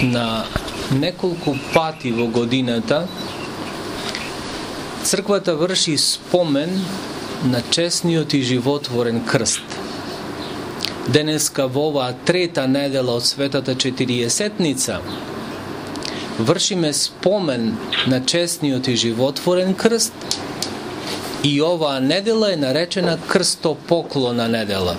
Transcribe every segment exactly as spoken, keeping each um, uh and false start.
на неколку пати во годината црквата врши спомен на честниот и животворен крст. Денеска во оваа трета недела од Светата Четириесетница вршиме спомен на честниот и животворен крст и оваа недела е наречена крстопоклона недела.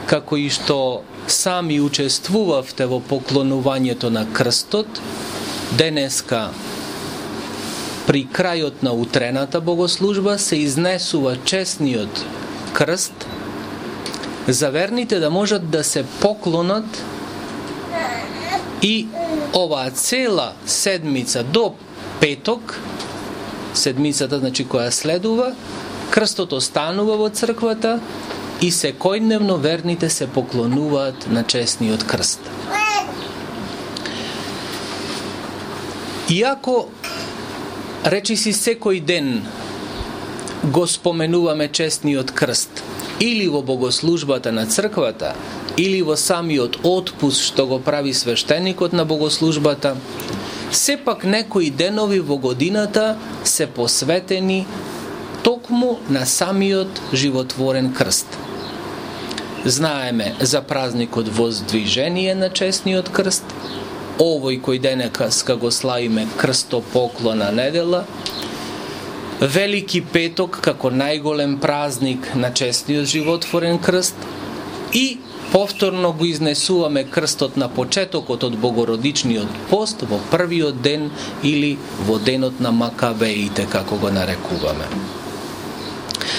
Како и што сами учествувавте во поклонувањето на крстот, денеска при крајот на утрената богослужба се изнесува честниот крст за верните да можат да се поклонат и оваа цела седмица до петок, седмицата значи која следува, крстот останува во црквата и секојдневно верните се поклонуваат на честниот крст. Иако речиси секој ден го споменуваме честниот крст, или во богослужбата на црквата, или во самиот отпуст што го прави свештеникот на богослужбата, сепак некои денови во годината се посветени токму на самиот животворен крст. Знаеме за празникот Воздвижение на честниот крст, овој кој денеска го славиме крстопоклона недела, Велики петок како најголем празник на честниот животворен крст и повторно го изнесуваме крстот на почетокот од Богородичниот пост во првиот ден или во денот на Макабеите, како го нарекуваме.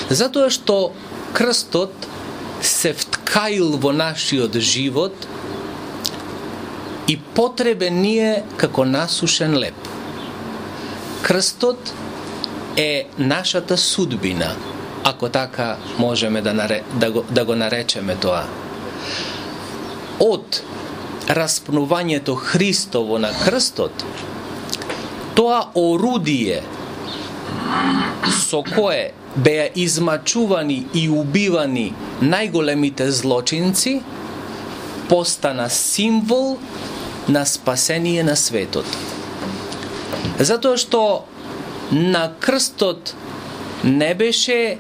Затоа што крстот се вткаил во нашиот живот и потребен ни е како насушен леп. Крстот е нашата судбина, ако така можеме да, наре, да, го, да го наречеме тоа. Од распнувањето Христово на крстот, тоа орудие со кое беа измачувани и убивани најголемите злочинци, постана символ на спасение на светот. Затоа што на крстот не беше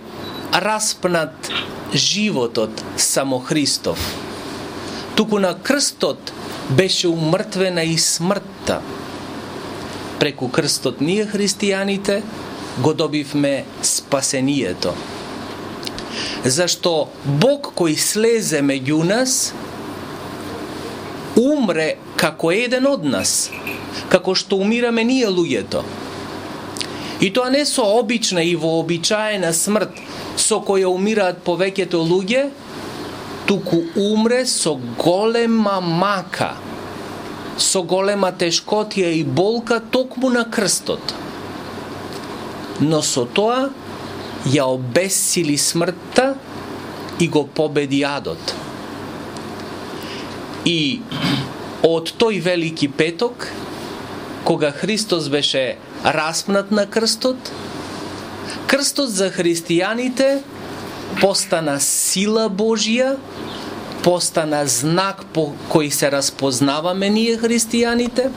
распнат животот само Христов, туку на крстот беше умртвена и смртта. Преку крстот ние христијаните го добивме спасението. Зашто Бог кој слезе меѓу нас умре како еден од нас, како што умираме ние луѓето. И тоа не со обична и вообичаена смрт со која умираат повеќето луѓе, туку умре со голема мака, со голема тешкотија и болка токму на крстот. Но со тоа ја обесили смртта и го победи адот. И од тој Велики петок, кога Христос беше распнат на крстот, крстот за христијаните постана сила Божја, постана знак по кој се распознаваме ние христијаните,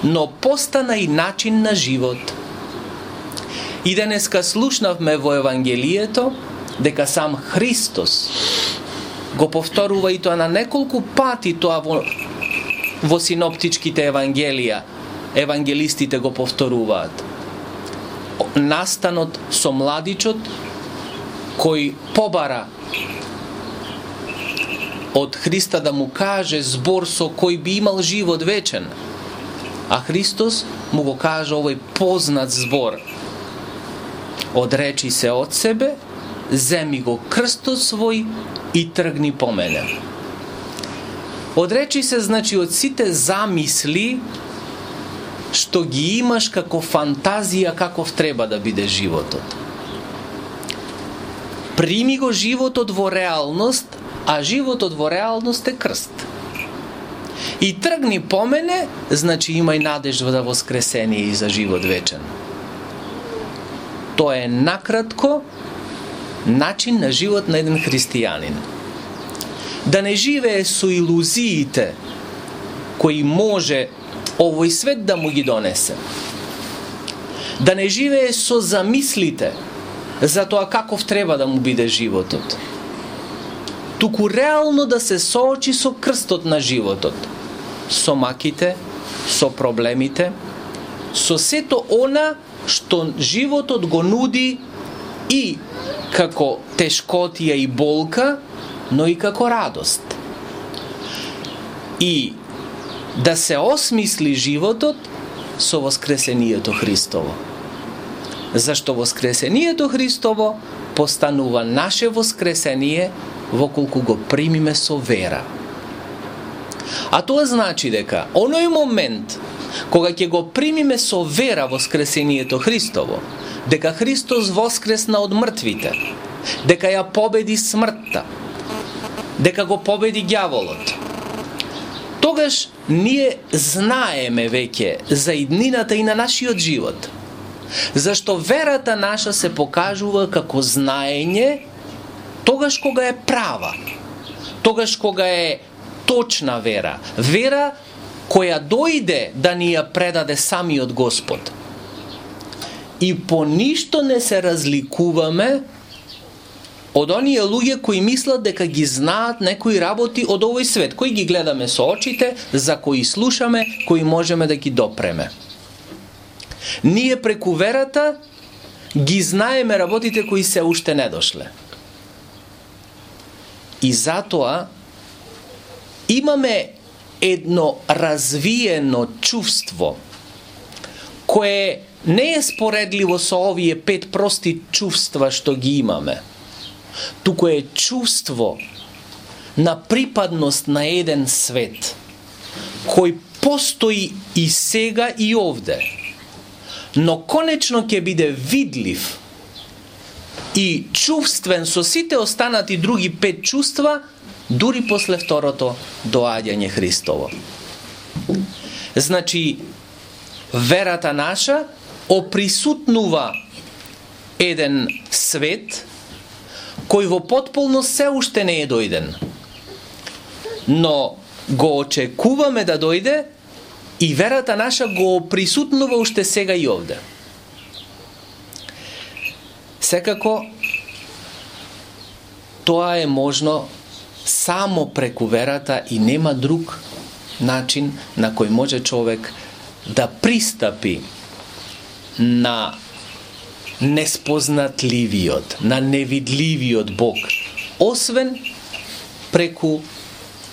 но постана и начин на живот. И денеска слушнавме во Евангелието дека сам Христос го повторува и тоа на неколку пати тоа во, во синоптичките евангелија. Евангелистите го повторуваат. Настанот со младичот кој побара од Христа да му каже збор со кој би имал живот вечен. А Христос му го каже овој познат збор. Одречи се од себе, земи го крстот свој и тргни по мене. Одречи се значи од сите замисли што ги имаш како фантазија каков треба да биде животот. Прими го животот во реалност, а животот во реалност е крст. И тргни по мене, значи имај надежда за воскресение и за живот вечен. Тоа е накратко начин на живот на еден христијанин. Да не живее со илузиите кои може овој свет да му ги донесе. Да не живее со замислите за тоа каков треба да му биде животот. Туку реално да се соочи со крстот на животот, со маките, со проблемите, со сето она што животот го нуди и како тешкотија и болка, но и како радост. И да се осмисли животот со воскресението Христово. Зашто воскресението Христово постанува наше воскресение воколку го примиме со вера. А тоа значи дека оној момент кога ќе го примиме со вера воскресението Христово, дека Христос воскресна од мртвите, дека ја победи смртта, дека го победи ѓаволот, тогаш ние знаеме веќе за иднината и на нашиот живот. Зашто верата наша се покажува како знаење тогаш кога е права, тогаш кога е точна вера, вера која дојде да ни ја предаде самиот Господ. И по ништо не се разликуваме од оние луѓе кои мислат дека ги знаат некои работи од овој свет, кои ги гледаме со очите, за кои слушаме, кои можеме да ги допреме. Ние преку верата ги знаеме работите кои се уште не дошле. И затоа имаме едно развиено чувство кое не е споредливо со овие пет прости чувства што ги имаме, туку е чувство на припадност на еден свет кој постои и сега и овде, но конечно ќе биде видлив и чувствен со сите останати други пет чувства дури после второто доаѓање Христово. Значи, верата наша оприсутнува еден свет кој во потполност се уште не е дојден, но го очекуваме да дојде и верата наша го присутнува уште сега и овде. Секако, тоа е можно само преку верата и нема друг начин на кој може човек да пристапи на неспознатливиот, на невидливиот Бог, освен преку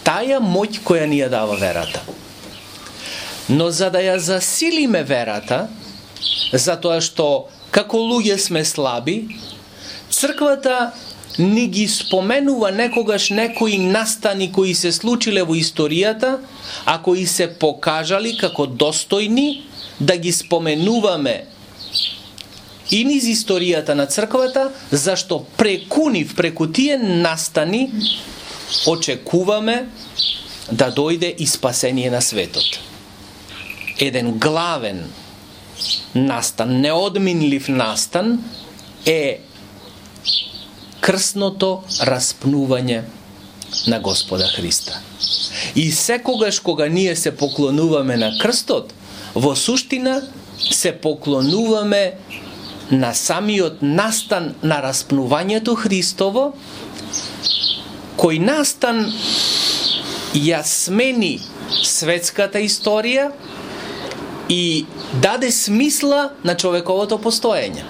таја моќ која ни ја дава верата. Но за да ја засилиме верата, затоа што како луѓе сме слаби, црквата ни ги споменува некогаш некои настани кои се случиле во историјата, а кои се покажали како достојни да ги споменуваме и низ историјата на црквата, зашто преку нив, преку тие настани, очекуваме да дојде и спасение на светот. Еден главен настан, неодминлив настан е крсното распнување на Господа Христа. И секогаш кога ние се поклонуваме на крстот, во суштина се поклонуваме на самиот настан на распнувањето Христово, кој настан ја смени светската историја и даде смисла на човековото постоење.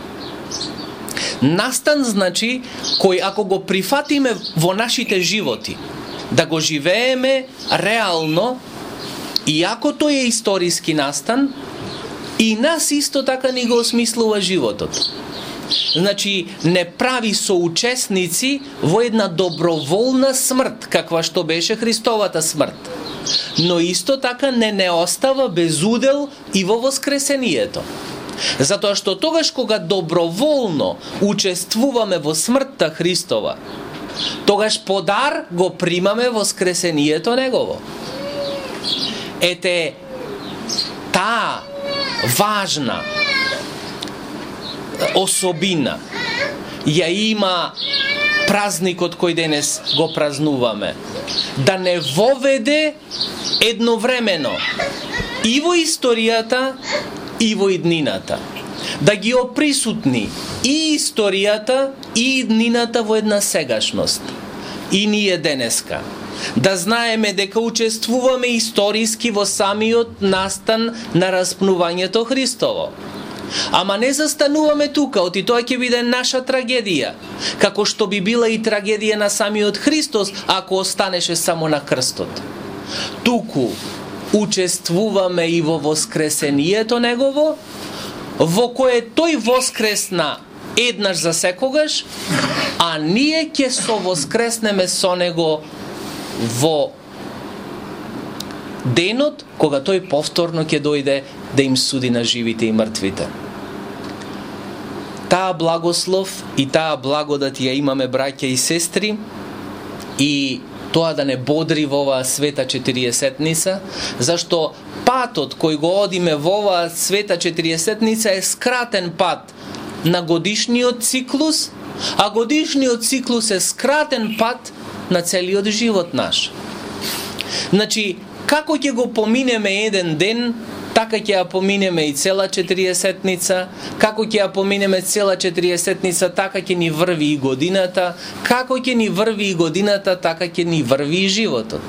Настан значи кој ако го прифатиме во нашите животи, да го живееме реално, и ако тој е историски настан, и нас исто така ни го осмислува животот. Значи, не прави соучесници во една доброволна смрт, каква што беше Христовата смрт, но исто така не не остава без удел и во воскресението. Затоа што тогаш кога доброволно учествуваме во смртта Христова, тогаш подар го примаме воскресението Негово. Ете, таа важна особина ја има празникот кој денес го празнуваме, да не воведе едновремено и во историјата и во иднината. Да ги оприсутни и историјата и иднината во една сегашност. И ние денеска да знаеме дека учествуваме историски во самиот настан на распнувањето Христово. Ама не застануваме тука, оти тоа ќе биде наша трагедија, како што би била и трагедија на самиот Христос ако останеше само на крстот. Туку учествуваме и во воскресението Негово, во кое тој воскресна еднаш за секогаш, а ние ќе со воскреснеме со Него во денот кога тој повторно ќе дојде да им суди на живите и мртвите. Таа благослов и таа благодат ја имаме, браќа и сестри, и тоа да не бодри во оваа света четириесетница, зашто патот кој го одиме во оваа света четириесетница е скратен пат на годишниот циклус, а годишниот циклус е скратен пат на целиот живот наш. Значи, како ќе го поминеме еден ден, така ќе ја поминеме и цела четириесетница, како ќе ја поминеме цела четириесетница, така ќе ни врви и годината, како ќе ни врви и годината, така ќе ни врви и животот.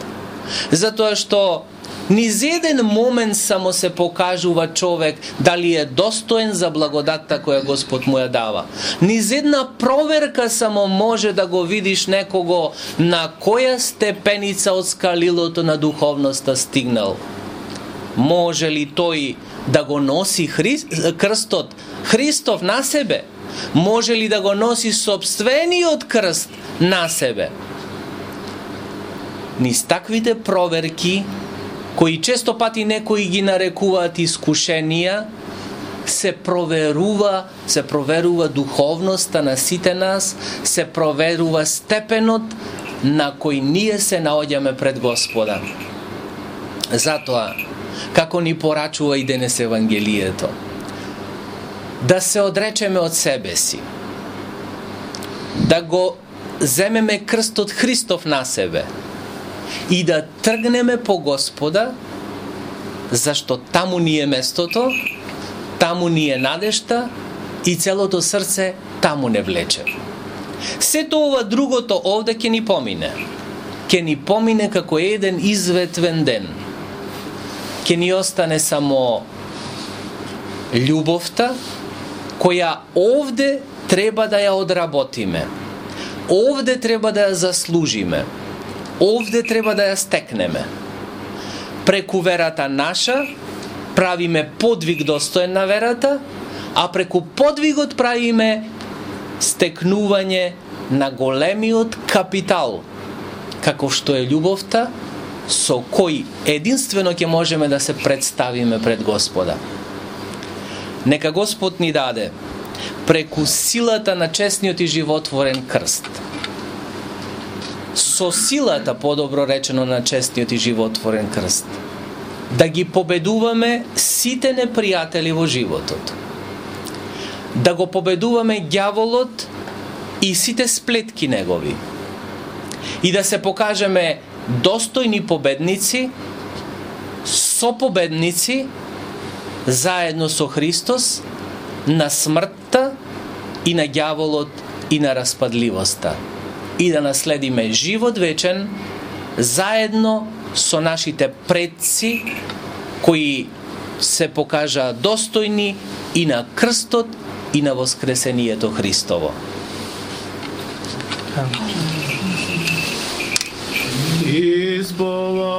Затоа што низ еден момент само се покажува човек дали е достоен за благодатта која Господ му ја дава. Низ една проверка само може да го видиш некого на која степеница од скалилото на духовноста стигнал. Може ли тој да го носи Хри... крстот Христов на себе? Може ли да го носи собствениот крст на себе? Низ таквите проверки, кои често пати некои ги нарекуваат искушенија, се проверува, се проверува духовноста на сите нас, се проверува степенот на кој ние се наоѓаме пред Господа. Затоа, како ни порачува и денес Евангелието, да се одречеме од себе си, да го земеме крстот Христов на себе и да тргнеме по Господа, зашто таму ни е местото, таму ни е надежта и целото срце таму не влече. Сето ова другото овде ќе ни помине. Ќе ни помине како еден изветвен ден. Ќе ни остане само љубовта, која овде треба да ја одработиме. Овде треба да ја заслужиме. Овде треба да ја стекнеме. Преку верата наша правиме подвиг достоен на верата, а преку подвигот правиме стекнување на големиот капитал, како што е љубовта, со кој единствено ќе можеме да се представиме пред Господа. Нека Господ ни даде преку силата на честниот и животворен крст, со силата, подобро речено, на честниот и животворен крст, да ги победуваме сите непријатели во животот, да го победуваме ѓаволот и сите сплетки негови, и да се покажеме достојни победници, сопобедници, заедно со Христос, на смртта и на ѓаволот и на распадливоста, и да наследиме живот вечен заедно со нашите предци кои се покажаа достојни и на крстот и на воскресението Христово. Избава